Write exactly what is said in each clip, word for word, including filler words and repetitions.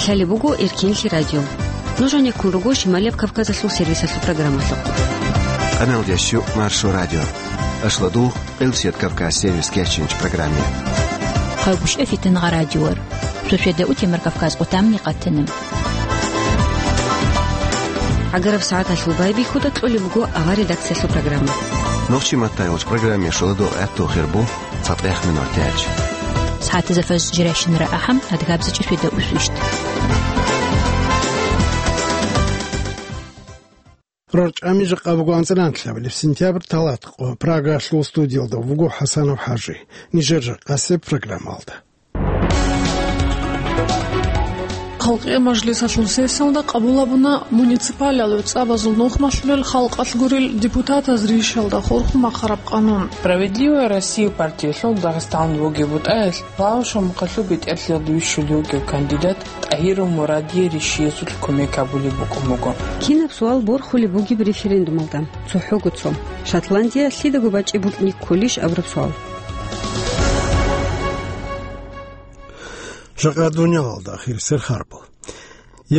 Лъалеб буго Эркенлъи радио. Нуж гьанеккун руго Шималияб Кавказалъул сервисалъул программалъухъ. Къаналдящу Маршо радио. Ашладул Къилсият Кавказ сервис кечинч программе. Хъалбушев Фитнагъа радиор. Суседа Утемар Кавказ къутамни къатана. ГӀагараб сагӀаталъул байбихьуда кьолеб буго авар редакциялъул программа. Нохчи маттай гъоч программе шоладо гӀатту хирбу цатӀехъ минутач. СагӀатазда фаз жиращинара ахӀам, адгабзачӀи суседа усвищт. РорчӀами жакъа буго анцӀила анлъабилеб сентябрь талатӀкъо. Прагалъул студиялда вуго ХӀасанов ХӀажи. Нижер жакъасеб программалда. Халкъиял мажлисалъул сессиялда къабул гьабуна муниципалиялъул цӀабазул нухмалъулел халкъалъ гурел депутатаз ришалда хурхун бахъараб къанун. Справедливая Россия партиялъул Дагъистаналда бугеб бутӀаялъ Лаушев Мухъалъул бетӀерлъиялда вищулев вугев кандидат ТӀагьиров Мурадие ришиязулъ кумек гьабулеб букӀун буго. Кинаб суал борхулеб бугеб референдумалда? ЦохӀого цо. Шотландия лъидаго бачӀи букӀине кколищ абураб суал. Жакъа дуниялалда ахирисел хабар.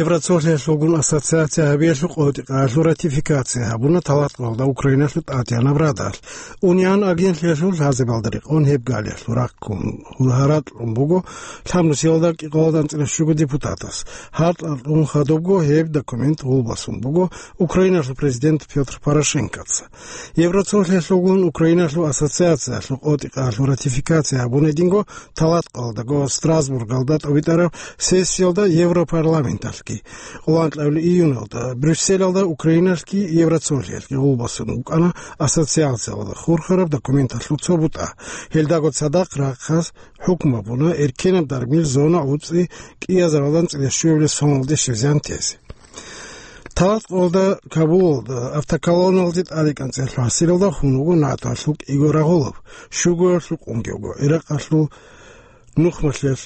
Евроцолъиялъулгун ассоциация гьабиялъул къотӀи-къагӀалъул ратификация гьабуна талатӀкъоялда Украиналъул ТӀадегӀанаб Радалъ. Униан агентлъиялъул лъазабиялда рекъон гьеб галиялъул рахъун гьаракь кьун буго лъабнусиялда кӀикъоялда анцӀила щуго депутатас. Гьаракь кьун хадубго гьеб документ гъулбасун буго Украиналъул президент Петр Порошенкоца. Евроцолъиялъулгун Украиналъул ассоциациялъул къотӀи-къагӀалъул ратификация гьабунединго талатӀкъоялдаго Страсбургалда тӀобитӀараб сессиялда Европарламенталъги, къоло анкьабилеб июналда Брюсселалда Украиналъги Евроцолъиялъги гъулбасун букӀана ассоциациялда хурхараб документалъул цо бутӀа. Гьелдаго цадахъ рахъалъ хӀукму гьабуна эркенаб даргмил зона гӀуцӀи кӀиазаралда анцӀила щуабилеб соналде щвезегӀан тезе. ТалатӀкъоялда Кабулалда автоколонналде тӀаде кӀанцӀиялъул гьасиралда хун вуго НАТОялъул кӀиго рагъулаб, щугоялъул къунгивго, Иракъалъул нухмалъиялъ,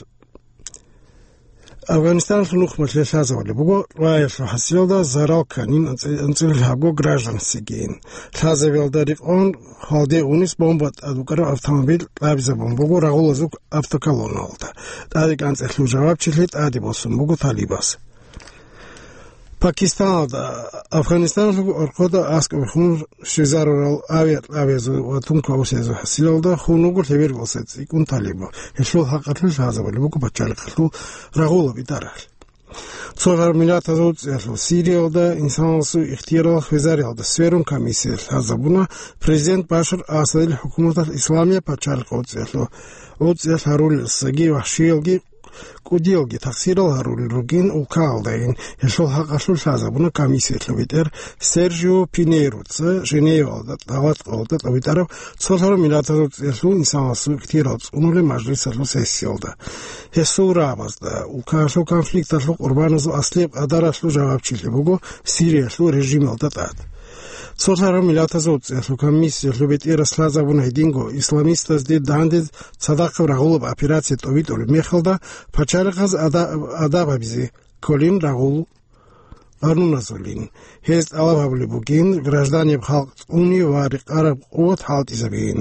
Афганистаналъул нухмалъиялъ лъазабулеб буго, рагъулаб гьасиралда зарал кканин анцӀи-, анцӀила лъабго гражданствогийин. Лъазабиялда рекъон гьалде унес бомба тӀад букӀараб автомобиль кьабизабун буго рагъулазул автоколонналда. ТӀаде кӀанцӀиялъул жавабчилъи тӀаде босун буго талибаз. Пакистаналда, Афганистаналъул оркъода аскӀобе хун щвезарурал авиакьабазул ва тункаусиязул гьасиралда хун вуго лъеберго сордоялъ цӀикӀкӀун талибал. Гьелъул хӀакъалъулъ лъазабулеб буго пачалихъалъул рагъулаб идаралъ. Цолъараб Миллатазул ГӀуцӀиялъул Сириялда инсаналъул ихтиярал хвезариялда сверун комиссия лъазабуна президент Башар Асадил хӀукуматалъ Исламияб пачалихъ ГӀуцӀиялъул, ГӀуцӀиялъ гьарулелсаги вахӀшиялги кӀудиялги тахсирал гьарулел ругин улкаялдайин. Гьелъул хӀакъалъулъ лъазабуна комиссиялъул бетӀер Сержио Пинейроца Женевалда, талатӀкъоялда тӀобитӀараб Цолъараб Миллатазул ГӀуцӀиялъул инсаналъул ихтиярал цӀунулел мажлисалъул сессиялда. Гьесул рагӀабазда улкаялъул конфликталъул къурбаназул аслияб къадаралъул жавабчилъи буго Сириялъул режималда тӀад. Цолъараб Миллатазул ГӀуцӀиялъул комиссиялъул бетӀерас лъазабуна гьединго исламистазде данде цадахъаб рагъулаб операция тӀобитӀулеб мехалда пачалихъаз ада-, адаб гьабизе кколин рагъул къануназулин. Гьез тӀалаб гьабулеб бугин гражданиял халкъ цӀуни ва рекъараб къуват хӀалтӀизабейин.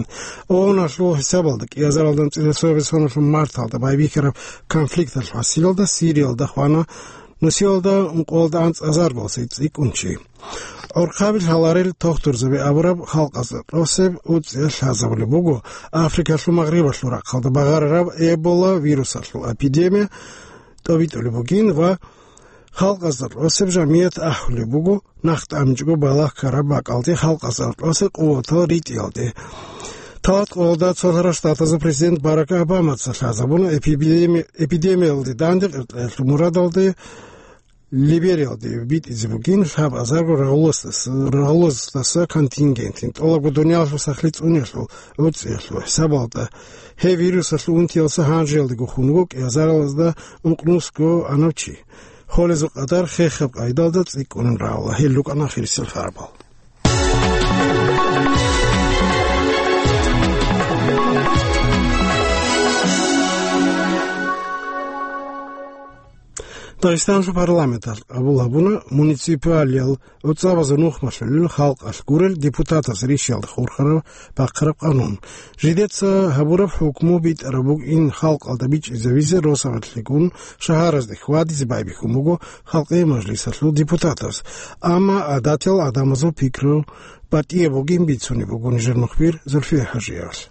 ООНалъул хӀисабалда кӀиазаралда анцӀила соналъул марталда байбихьараб конфликталъул гьасиралда Сириялда хвана нусиялда ункъоялда анцӀазарго цӀикӀкӀун чи. ГӀурхъаби лъаларел тохтурзаби абураб халкъазда тӀосеб ГӀуцӀиялъ лъазабулеб буго Африкалъул магърибалъул рахъалда багъарараб Эбола вирусалъул эпидемия тӀобитӀулеб бугин ва халкъазда тӀосеб жамият ахӀулеб буго нах тӀамичӀого балагь ккараб бакӀалде халкъазда тӀосеб къуватал ритӀиялде. ТалатӀкъоялда Цолъарал Штатазул президент Барак Обамаца лъазабуна эпидеми-, эпидемиялде данде къеркьеялъул мурадалде Либериялде битӀизе бугин лъабазарго рагъулаздаса, рагъулаздаса контингентин, тӀолабго дуниялалъул сахлъи цӀуниялъул гӀуцӀиялъул хӀисабалда. Гьеб вирусалъул унтиялдаса гьанжеялдего хун вуго кӀиазаралазда ункънусго анав чи. Холезул къадар хехаб къайдалда цӀикӀкӀунин равала. Гьел рукӀана ахирисел хабар. Дагъистаналъул парламенталъ къабул гьабуна муниципалиял гӀуцӀабазул нухмалъулел халкъалъ гурел депутатаз ришиялда хурхараб бахъараб къанун. Жидеца гьабураб хӀукму битӀараб букӀин халкъалда бичӀчӀизавизе росабалъегун шагьаразде хьвадизе байбихьун буго Халкъи мажлисалъул депутатаз, амма гӀадатиял гӀадамазул пикру батӀияб бугин бицунеб буго нижер мухбир Зульфия ХӀажиевалъ.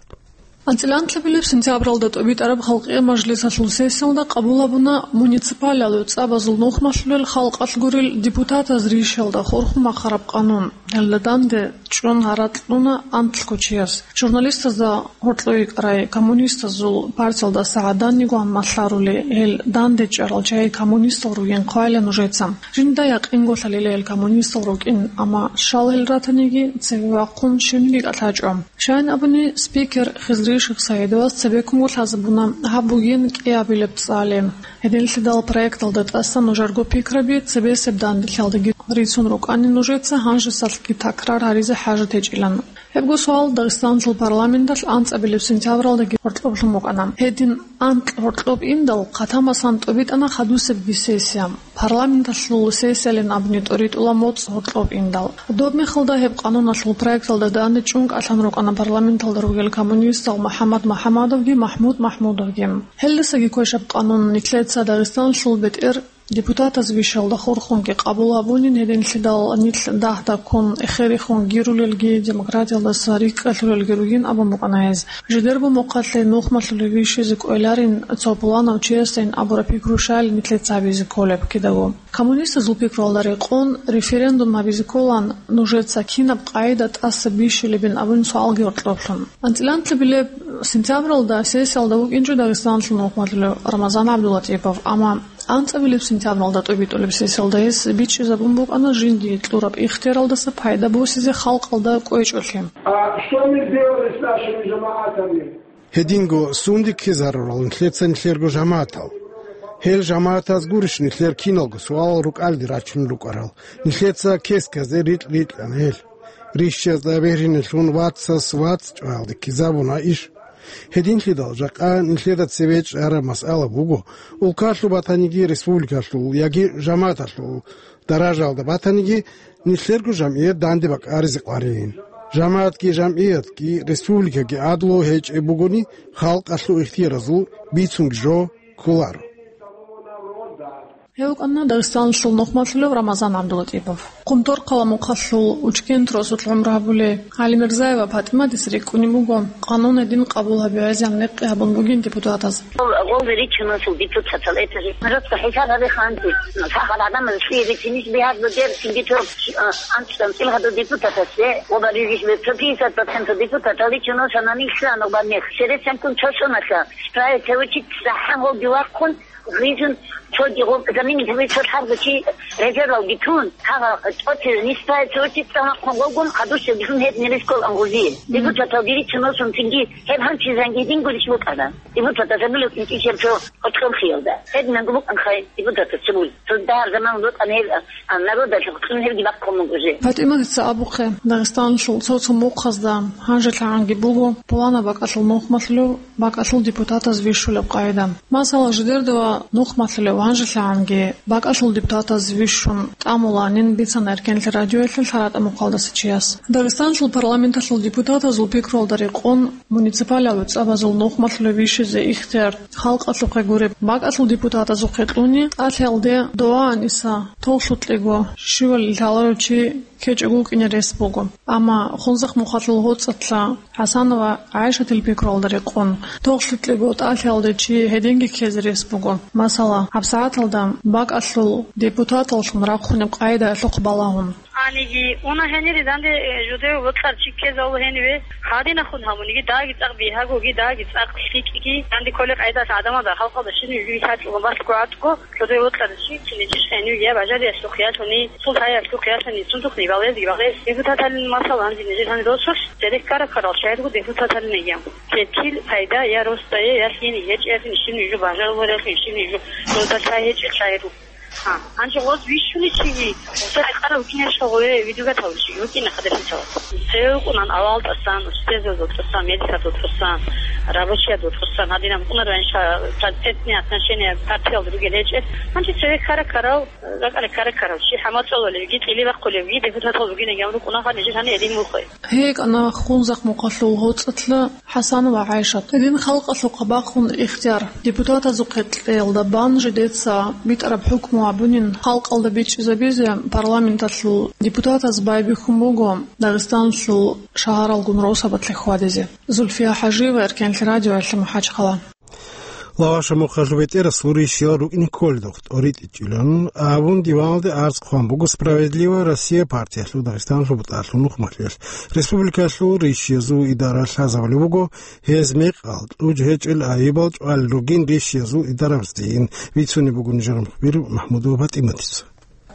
АнцӀила анлъабилеб сентябралда тӀобитӀараб Халкъи мажлисалъул сессиялда къабул гьабуна муниципалиялъул гӀуцӀабазул нухмалъулел халкъалъ гурел депутатаз ришиялда хурхун бахъараб къанун. Гьелда данде чӀун гьаракь кьуна анлъго чияс. Журналистазда гьоркьо йикӀарай коммунистазул партиялдаса гӀаданигоан малъарули, гьел данде чӀарал чагӀи коммунистал ругин хъвайла нужеца. Жинда якъинго лъалила гьел коммунистал рукӀин, амма щал гьел ратаниги, цеве вахъун щибниги кӀалъачӀо. Щайин абуни, спикер Хизри Шихсаидовас цебеккунго лъазабуна гьаб бугин кӀиабилеб цӀали. Гьединлъидал проекталда тӀасан нужерго пикраби цебесеб данделъиялдаги рицун рукӀани нужеца гьанжесалъги такрар гьаризе хӀажат гьечӀилан. Гьебго суал Дагъистаналъул парламенталъ анцӀабилеб сентябралдаги гьоркьоблъун букӀана. Гьедин анкь гьоркьоб индал, хъатамасан тӀобитӀана хадусебги сессия. Парламенталъул сессиялин абуни тӀоритӀула моцӀ гьоркьоб индал. Доб мехалда гьеб къануналъул проекталда данде чӀун кӀалъан рукӀана парламенталда ругел коммунистал МухӀаммад МухӀаммадовги МахӀмуд МахӀмудовги. Гьелдасаги квешаб къанун нилъеца Дагъистаналъул бетӀер депутатаз вищалда хурхунги къабул гьабунин, гьединлъидал нилъ дагь-дагьккун эхерихун гирулелги, демократиялдаса рикӀкӀалъулелги ругин абун букӀана гьез. Жидерго мухъалъе нухмалъулев вищизе кӀвеларин цо пуланав чиясдайин абураб пикру щайилан нилъеца гьабизе кколеб кидаго. Коммунистазул пикруялда рекъон, референдум гьабизе кколан нужеца кинаб къагӀида тӀаса бищулебин абун суалги гьоркьоблъун. АнцӀила анлъабилеб сентябралда сессиялда вукӀинчӀо Дагъистаналъул нухмалъулев Рамазан ГӀабдулатӀипов, амма анцӀабилеб сентябралда тӀобитӀулеб сессиялда гьес бичӀчӀизабун букӀана жиндие кьураб ихтияралдаса пайда босизе халкъалда кӀвечӀолъи. А что мы сделали с нашими жамаатами? Гьединго сунде ккезарурал нилъеца нилъерго жамаатал? Гьел жамаатаз гурищ нилъер киналго суалал рукӀалде рачун рукӀарал? Нилъеца кесказе рикь-рикьана гьел. Рищазда бегьринелъун вацас вац чӀваялде ккезабуна иш. Гьединлъидал жакъа нилъеда цеве чӀараб масъала буго, улкалъул батаниги республикалъул яги жамааталъул даражаялда батаниги, нилъерго жамгӀият данде бакӀаризе къварилин. ЖамагӀатги жамгӀиятги республикаги гӀадлу гьечӀеб бугони, халкъалъул ихтияразул бицунги жо кколаро. Гьев вукӀана Дагъистаналъул нухмалъулев Рамазан ГӀабдулатӀипов. Хъумторхъала мухъалъул Учкент росулъ гӀумру гьабулей ГӀалимирзаева ПатӀиматис рикӀкӀунеб буго, къанун гьедин къабул гьабизе гӀезегӀан рекъи гьабун бугин депутатаз. Гъолги риччун росул депутатал, это же жестко хӀисаб гьабе ханти. Сахал гӀадамаз лъие рицинис бигьадлу дер сингитӀо, а, анцӀ-, анцӀил гьадул депутатасде, оба ризиш бе, цо пятьдесят процент депутатал риччун росанани хьанубан мех. Сересанкун цо соналъа, справиться учить, сахӀан гъолги вахъун, Гъизун цоги гъоб заминги гьабичӀо лъабго чи резервалги тун, гьагъа тӀоцебе нисбай цо чи цӀалахъун вугун, хадусеб бихьун гьеб нилис ккол ангузи. Депутаталги риччун росун цинги гьеб гьанчизанги гьединго рич букӀана. Депутатас гьабулев кӀинчӀищ гьеб цо гьоркьоб хиялда. Гьединанго букӀанхъай депутатас цебул. Цо дагьаб заман букӀана гьеб, а, народалъ гьоркьун гьебги бахъун буго жо. ПатӀиматица абухъе, Дагъистаналъул цо-цо мухъазда гьанжелъагӀанги буго пуланаб бакӀалъул нухмалъулев бакӀалъул депутатаз вищулеб къагӀида. Масала, жидерда ва нухмалъулев гьанжелъагӀанги бакӀалъул депутатаз вищун тӀамуланин бицана Эркенлъи радиоялъе лъаратӀа-мухъалдаса чияс. Дагъистаналъул парламенталъул депутатазул пикруялда рекъон, муниципалияб гӀуцӀабазул нухмалъулев вищизе ихтияр халкъалъухъе гуреб бакӀалъул депутатазухъе кьуни, тӀалъиялде дова аниса, тохлъукьего щивали лъаларев чи ккечӀого вукӀине рес буго. Амма Хунзахъ мухъалъул гьоцӀалъа ХӀасанова ГӀайшатил пикруялда рекъон, тохлъукьего тӀалъиялде чи гьединги ккезе рес буго. Масала, гьабсагӀаталда бакӀалъул депутаталлъун рахъунеб къагӀидаялъухъ балагьун. Гьаниги уна гьенире данде, э, жуде вокьарав чи ккезавула гьениве, гьадинахъун гьабуниги, даги цӀакъ бигьагоги, даги цӀакъ лъикӀги, данде кколеб къагӀидалъ гӀадамазда, халкъалда щибниги вихьачӀого, балъго гӀатӀго, жуде вокьарав чи, чи нижер гьениве я бажариялъухъ ялъуни, султӀаялъухъ ялъуни, цунтухъ нибалез, гибалез, депутаталин масала, гьанже нижер гьаниб досулъ, церехъ ккараб ккарал чагӀиго депутаталин гьеб. Гьеб кин пайда я росдае, я лъиениги гьечӀеялъе щибниги жо бажаруларелъул, щибниги жо росдалъ гьечӀел чагӀи руго. Гьа, гьанже гъоз вищуличи, цо рекъарав вукӀинарищ гъове видеогатав чи вукӀина хадасицал. Цеве вукӀунан авал тӀасан, устезазул тӀасан, медиказул тӀасан, рабочиязул тӀасан, гьадинаб букӀунарван ша процентные отношения партиялда ругел гьечӀеб. Гьанже цеве ккара-ккарав, ракӀалде ккара-ккарав чи хӀамал цӀололевги, кьили бахъулевги, депутатал бугинегиян рукӀуна, гьанже жанир гьедин вухъе. ГьекӀана Хунзахъ мухъалъул гъоцӀалъа ХӀасанова ГӀайшат. Гьедин халкъалъухъа бахъун ихтияр депутатазухъе кьеялда бан жидеца битӀараб хӀукму гьабунин халкъалда бичӀчӀизабизе парламенталъул депутатаз байбихьун буго Дагъистаналъул шагьаралгун росабалъе хьвадизе. Зульфия ХӀажиева, Эркенлъи радиоялъе МахӀачхъала. Лаваша мухъалъул бетӀерасул рищиял рукӀине кколедухъ тӀоритӀичӀилан абун диваналде арц хъван буго «Справедливая Россия» партиялъул Дагъистаналъул бутӀалъул нухмалъиялъ. Республикалъул рищиязул идара лъазабулеб буго, гьез мекъал кьучӀ гьечӀел айибал чӀвалел ругин рищиязул идарабаздейин, бицунеб буго нижер мухбир МахӀмудова ПатӀиматица.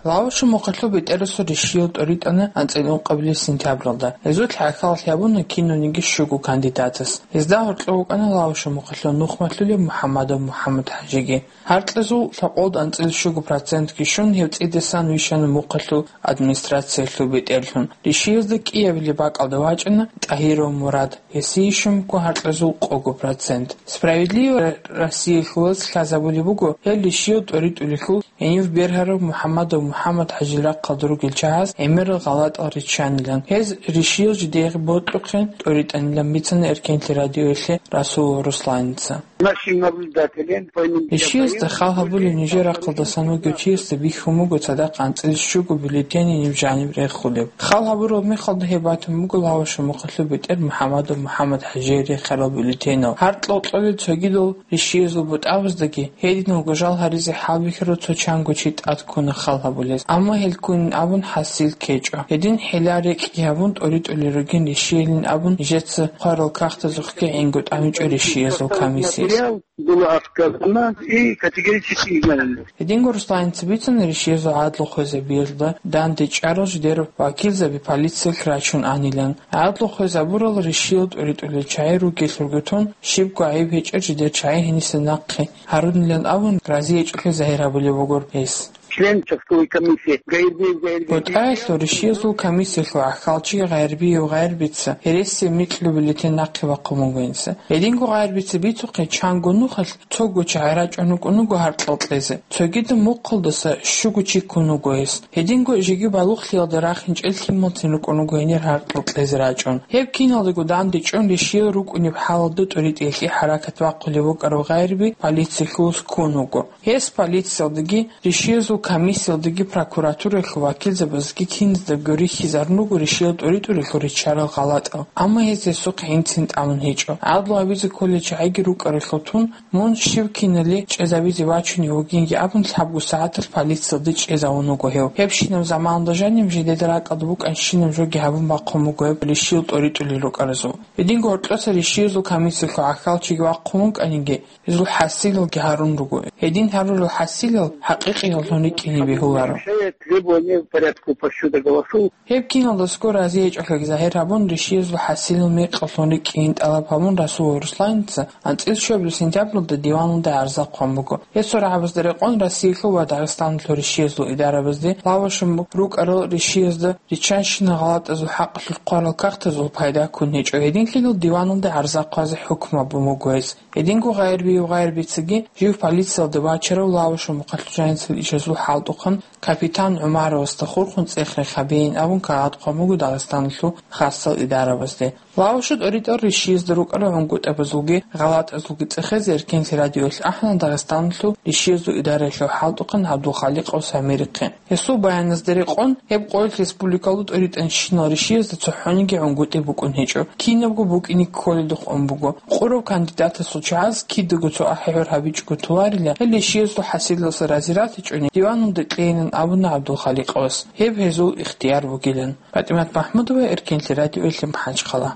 Лаваша мухъалъул бетӀерасул рищиял тӀоритӀана анцӀила ункъабилеб сентябралда. Гьезул лъахӀаллъи гьабуна кинавниги щуго кандидатас. Гьезда гьоркьов вукӀана Лаваша мухъалъул нухмалъулеб МухӀаммадов МухӀаммад ХӀажиги. Гьаркьазул лъабкъоялда анцӀила щуго процентги щун, гьев цӀидасан вищана мухъалъул администрациялъул бетӀерлъун. Рищиязда кӀиабилеб бакӀалда вачӀана ТӀагьиров Мурад. Гьесие щун буго гьаркьазул къого процент. «Справедливая Россия» хьулаз лъазабулеб буго, гьел рищиял тӀоритӀулелъул гьенив бергьарав МухӀаммадов МухӀаммад ХӀажил рахъалда ругел чагӀаз гӀемерал гъалатӀал риччанилан. Гьез рищиял жидее бокьухъе тӀоритӀанилан бицана Эркенлъи радиоялъе Расулов Русланица. Нашим наблюдателям по иным Рищиязда хал гьабулев нижер рахъалдасан вугев чиясда бихьун буго цадахъ анцӀила щуго бюллетениниб жаниб рехулеб. Хал гьабураб мехалда гьеб батун буго Лаваша мухъалъул бетӀер МухӀаммадов МухӀаммад ХӀажие рехарал бюллетенал. Гьаркьал кьолел цогидал рищиязул бутӀабаздаги гьединго жал гьаризе хӀалбихьарав цо чанго чи тӀад ккуна хал гьабулез, амма гьел ккунин абун хӀасил ккечӀо. Гьедин хӀила-рекӀкӀи гьабун тӀоритӀулел ругин рищиялин абун нижеца хъварал кагътазухъги гӀинго тӀамичӀо рищиязул комиссияс. Было отказано и категорически изгнано. Гьединго Русланица бицана рищиязул гӀадлу хвезабиялда данде чӀарал жидер вакилзаби полициялъ рачун анилан. ГӀадлу хвезабурал рищиял тӀоритӀулел чагӀи ругелъулго тун, щибго гӀайиб гьечӀел жидер чагӀи гьениса нахъе гьарунилан абун, разиячӀухъе загьир гьабулеб бугур гьес. Член участковой комиссии Гайрбиев Гайрбиев. БутӀаялъул рищиязул комиссиялъул гӀахьалчи Гайрбиев Гайрбица гьересияб микьго бюллетень нахъе бахъун буго инса. Гьединго Гайрбица бицухъе, чанго нухалъ цого чагӀи рачӀун рукӀун руго гьаркьал кьезе. Цогидаб мухъалдаса щуго чи ккун вуго гьес. Гьединго жеги балугълъиялда рахинчӀел лъималцин рукӀун руго гьенир гьаркьал кьезе рачӀун. Гьеб киналдаго данде чӀун рищиял рукӀунеб хӀалалда тӀоритӀиялъе хӀаракат бахъулев вукӀарав Гайрби полициялъулас ккун вуго. Гьес полициялдаги рищиязул комиссиялдаги прокуратураялъул вакилзабазги киназдаго рихьизарун руго рищиял тӀоритӀулелъул риччарал гъалатӀал, амма гьез гьесухъ гӀинцин тӀамун гьечӀо. ГӀадлу гьабизе кколел чагӀиги рукӀаралъул тун, мун щив кинали чӀезабизе вачунев вугинги абун, лъабго сагӀаталъ полициялде чӀезавун вуго гьев. Гьебщинаб заманалда жанив жидеда ракӀалда букӀанщинаб жоги гьабун бахъун буго гьеб рищиял тӀоритӀулел рукӀаразул. Гьединго гьоркьоса рищиязул комиссиялъул гӀахьалчиги вахъун вукӀаниги, гьезул хӀасилалги гьарун руго. Гьедин гьарурал хӀасилал хӀакъикъияллъун рикӀкӀине бегьуларо. Требование порядку подсчёта голосов. Гьеб киналдасго разиячӀухъеги загьир гьабун, рищиязул хӀасилал мекъаллъун рикӀкӀин тӀалаб гьабун, Расулов Русланица анцӀила щуабилеб сентябралда диваналда гӀарза хъван буго. Гьесул рагӀабазда рекъон Россиялъул ва Дагъистаналъул рищиязул идарабазде лавашун рукӀарал рищиязда риччанщинал гъалатӀазул хӀакъалъулъ хъварал кагътазул пайда ккун гьечӀо. Гьединлъидал диваналда гӀарза хъвазе хӀукму гьабун буго гьес. Гьединго Гъайрбиев Гъайрбицаги жив полициялда вачарав лавашун мухъалъуджанецал ишазул хӀалтӀухъан капитан ГӀумаровасда хурхун цӀех рехабейин абун кагъат хъван буго Дагъистаналъул хасал идарабазде. Лаваша тӀоритӀал рищиязда рукӀарал гӀунгутӀабазулги гъалатӀазулги цӀехезе Эркенлъи радиоялъ ахӀана Дагъистаналъул рищиязул идараялъул хӀалтӀухъан ГӀабдулхаликъов Самирихъе. Гьесул баяназда рекъон, гьеб къоялъ республикалда тӀоритӀанщинал рищиязда цохӀониги гӀунгутӀи букӀун гьечӀо, кинабго букӀине кколелдухъ ун буго. Къурав кандидатасул чагӀаз кидаго цо ахӀи-гӀур гьабичӀого толарила, гьел рищиязул хӀасилалъа рази ратичӀони, диваналде кьейилан абуна ГӀабдулхаликъовас, гьеб гьезул ихтияр бугилан. ПатӀимат МахӀмудова, Эркенлъи радиоялъе МахӀачхъала.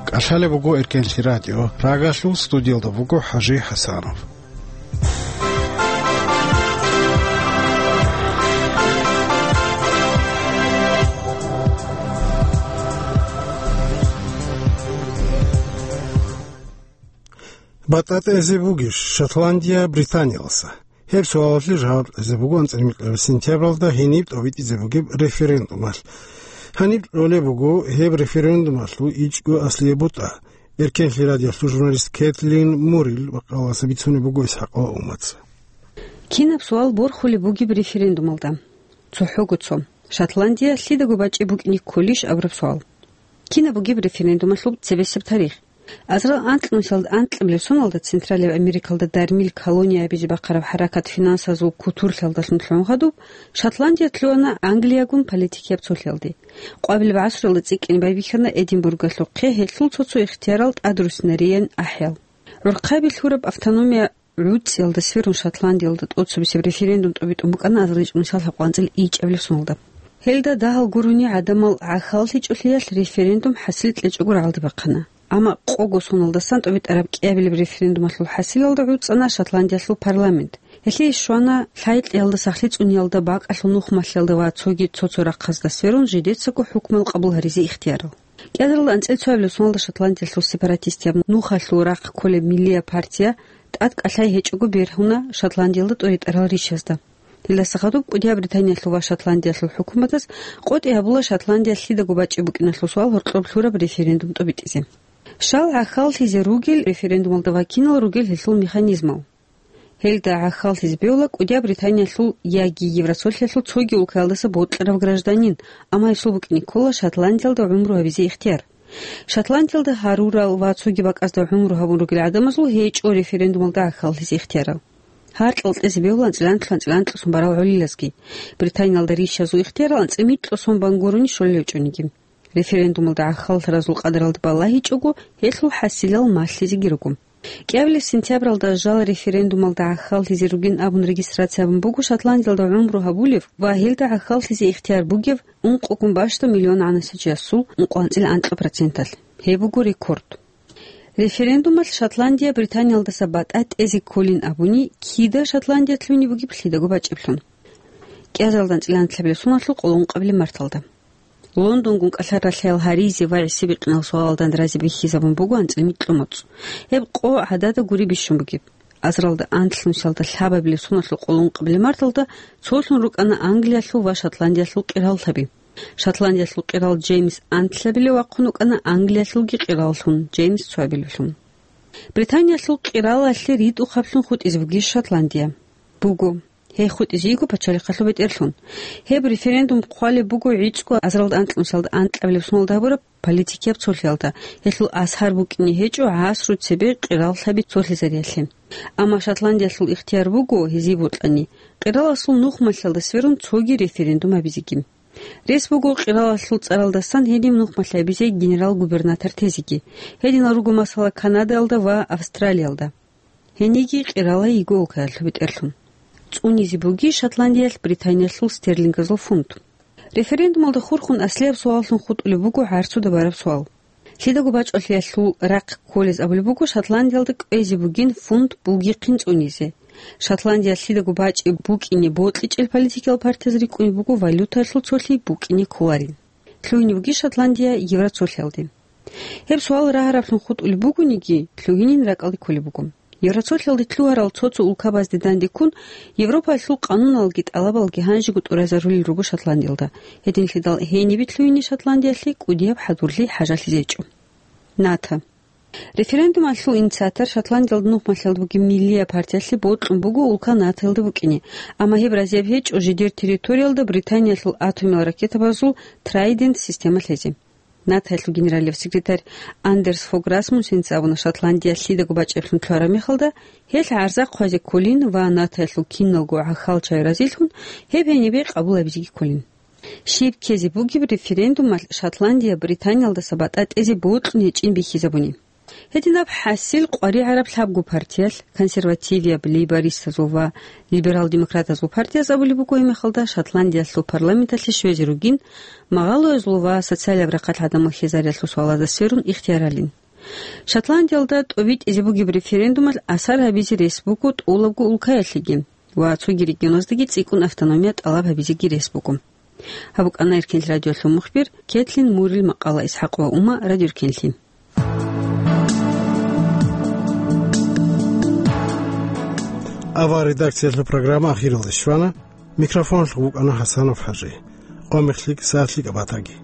КӀалъалеб буго Эркенлъи радио. Рагалъул студиялда буго ХӀажи ХӀасанов. БатӀа тӀезе бугищ Шотландия Британиялдаса? Гьеб суалалъе жаваб кьезе буго анцӀила микьабилеб сентябралда гьениб тӀобитӀизе бугеб референдумалъ. Гьаниб кьолеб буго гьеб референдумалъул ичӀго аслияб бутӀа. Эркенлъи радиоялъул журналист Кэтлин Мурил бакъаласа бицунеб буго ИсхӀакъ Умаца. Кинаб суал борхулеб бугеб референдумалда? ЦохӀого цо. Шотландия лъидаго бачӀи букӀине кколищ абураб суал. Кинаб бугеб референдумалъул цебесеб тарих? Азарил анкьнусиялда анкьабилеб соналда Централияб Америкалда дармил колония абизе бахъараб хӀаракат финансазул кутурлъиялдалъун лъугӀун хадуб, Шотландия лъугьана Англиягун политикияб цолъиялде. Къоабилеб гӀасруялда цӀикӀкӀине байбихьана Эдинбургалъухъе гьелъул цо-цо ихтиярал тӀадруссинариян ахӀиял. ГӀурхъаби лъураб автономия гӀуцӀиялда сверун Шотландиялда тӀоцебесеб референдум тӀобитӀун букӀана азарил чӀужуялъ гьаб къванцӀил ичӀабилеб соналда. Гьелда дагьал гурони гӀадамал гӀахьаллъичӀолъиялъ референдум хӀасилилъ кьечӀого рагӀалде бахъана. Амма къого соналдасан тӀобитӀараб кӀиабилеб референдумалъул хӀасилалда гӀуцӀана Шотландиялъул парламент. Гьелъие щвана лъай-кьиялда сахлъи цӀуниялда, бакӀалъул нухмалъиялда ва цоги цо-цо рахъазда сверун жидецаго хӀукмал къабул гьаризе ихтиярал. КӀиазарилда анцӀила цоабилеб соналда Шотландиялъул сепаратистияб нухалъул рахъ кколеб Миллия партия тӀад кӀалъай гьечӀого бергьуна Шотландиялда тӀоритӀарал ришазда. Гьелдаса хадуб кӀудияб Британиялъул ва Шотландиялъул хӀукуматаз къотӀи гьабула Шотландия лъидаго бачӀи букӀиналъул суал гьоркьоб лъураб референдум тӀобитӀизе. Щал гӀахьаллъизе ругел референдумалда ва кинал ругел гьелъул механизмал? Гьелда гӀахьаллъизе бегьула кӀудияб Британиялъул яги Евросолъиялъул цоги улкаялдаса бокьарав гражданин, амма гьесул букӀине ккола Шотландиялда гӀумру гьабизе ихтияр. Шотландиялда гьарурал ва цоги бакӀазда гӀумру гьабун ругел гӀадамазул гьечӀо референдумалда гӀахьаллъизе ихтиярал. Гьаркьал кьезе бегьула анцӀила анкьалъ анцӀила анкьалъун барал гӀолилазги. Британиялда ришазул ихтиярал анцӀила микьго сон бан гурони щолел гьечӀониги. Референдумалда гӀахьаллъаразул къадралда балагьичӀого, гьелъул хӀасилал малъизеги руго. КӀиабилеб сентябралда жал референдумалда гӀахьаллъизе ругин абун регистрация гьабун буго Шотландиялда гӀумру гьабулев ва гьелда гӀахьаллъизе ихтияр бугев ункъогун бащдаб миллион гӀанасичиясул ункъо анцӀила анкьа проценталъ. Гьеб буго рекорд. Референдумалъ Шотландия Британиялдаса батӀа тӀезе кколин абуни, кида Шотландия лъугьине бугеб лъидаго бачӀеблъун? КӀиазарилда анцӀила анлъабилеб соналъул къоло ункъабилеб марталда. Лондонгун кӀалъал ралъаял гьаризе ва гӀисибикьинал суалалда разе бихьизабун буго анцӀила микьго моцӀ. Гьеб къо гӀадада гури бищун бугеб. Азарилда анлънусиялда лъабабилеб соналъул къоло ункъабилеб марталда цолъун рукӀана Англиялъул ва Шотландиялъул къираллъаби. Шотландиялъул къирал Джеймс анлъабилев вахъун вукӀана Англиялъулги къираллъун, Джеймс цоабилевлъун. Британиялъул къиралалъе ритӀухъаблъун хутӀизе бугищ Шотландия? Буго. Гьей хутӀизе йиго пачалихъалъул бетӀерлъун. Гьеб референдум хъвалеб буго гӀицӀго азарилда анлънусиялда анкьабилеб соналда гьабураб политикияб цолъиялда, гьелъул асар букӀине гьечӀо гӀасру цебе къираллъаби цолъизариялъе. Амма Шотландиялъул ихтияр буго, гьезие бокьани, къираласул нухмалъиялда сверун цоги референдум гьабизеги. Рес буго къиралалъул цӀаралдасан гьениб нухмалъи гьабизе генерал-губернатор тезеги. Гьединал руго масала Канадаялда ва Австралиялда. Гьениги къирала йиго улкаялъул бетӀерлъун. ЦӀунизе буги Шотландиялъ Британиялъул стерлингазул фунт. Референдумалда хурхун аслияб суаллъун хутӀулеб буго гӀарцуда бараб суал. Лъидаго бачӀолъиялъул рахъ кколез абулеб буго Шотландиялда кӀвезе бугин фунт бугихъин цӀунизе. Шотландия лъидаго бачӀи букӀине бокьичӀел политикиял партияз рикӀкӀунеб буго валютаялъул цолъи букӀине кколарин. Лъугьине буги Шотландия Евроцолъиялде. Гьеб суал рагьараблъун хутӀулеб бугониги, лъугьинин ракӀалде кколеб буго. Евроцолъиялде лъугьарал цо-цо улкабазде дандеккун, Европаялъул къануналги тӀалабалги гьанжего тӀуразарулел руго Шотландиялда. Гьединлъидал гьенибе лъугьине Шотландиялъе кӀудияб хӀадурлъи хӀажалъизе гьечӀо. НАТО. Референдумалъул инициатор Шотландиялда нухмалъиялда бугеб Миллия партиялъе бокьун буго улка НАТОялда букӀине, амма гьеб разияб гьечӀо жидер территориялда Британиялъул атомиял ракетабазул Трайдент система лъезе. НАТОялъул генералияб секретарь Андерс Фог Расмуссенца абуна, Шотландия лъидаго бачӀеблъун лъугьараб мехалда, гьелъ гӀарза хъвазе кколин ва НАТОялъул киналго гӀахьал чагӀи разилъун, гьеб гьенибе къабул гьабизеги кколин. Щиб ккезе бугеб референдумалъ Шотландия Британиялдаса батӀа тӀезе бокьун гьечӀин бихьизабуни. Гьединаб хӀасил къваригӀараб лъабго партиялъ, консервативияб лейбористазул ва либерал-демократазул партияз абулеб буго гьеб мехалда Шотландиялъул парламенталъе щвезе ругин, магъалоязул ва социалияб рахъалъ гӀадамал хьезариялъул суалазда сверун ихтияралин. Шотландиялда тӀобитӀизе бугеб референдумалъ асар гьабизе рес буго тӀолабго улкаялъеги ва цоги регионаздаги цӀикӀкӀун автономия тӀалаб гьабизеги рес буго. Гьаб букӀана Эркенлъи радиолъул мухбир Кетлин Мурил макъала. ИсхӀакъ ва Ума, Радио Эркенлъи. Авал редакциялъул программа ахиралде щвана. Микрофоналъув вукӀана ХӀасанов ХӀажи. Къо-мех лъикӀ, сагӀат лъикӀаб батаги.